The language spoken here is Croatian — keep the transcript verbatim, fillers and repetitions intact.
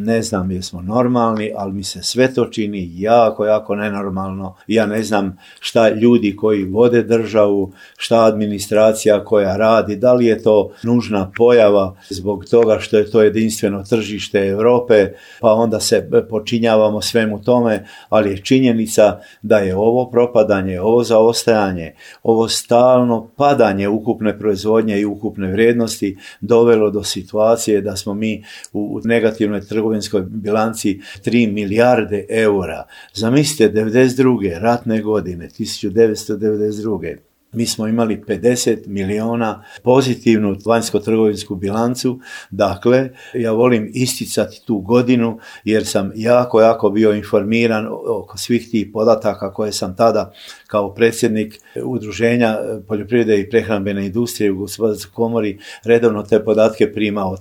ne znam jesmo normalni, ali mi se sve to čini jako, jako nenormalno. Ja ne znam šta ljudi koji vode državu, šta administracija koja radi, da li je to nužna pojava zbog toga što je to jedinstveno tržište Europe, pa onda se počinjavamo svemu tome, ali je činjenica da je ovo propadanje, ovo zaostajanje, ovo stalno padanje ukupne proizvodnje i ukupne vrijednosti dovelo do situacije da smo mi u negativnoj trgovinskoj bilanci tri milijarde eura. Zamislite, devedeset druge ratne godine, tisuću devetsto devedeset druge mi smo imali pedeset milijuna pozitivnu vanjsko-trgovinsku bilancu. Dakle, ja volim isticati tu godinu jer sam jako, jako bio informiran oko svih tih podataka koje sam tada kao predsjednik Udruženja poljoprivrede i prehrambene industrije u Gospodarskoj komori redovno te podatke primao.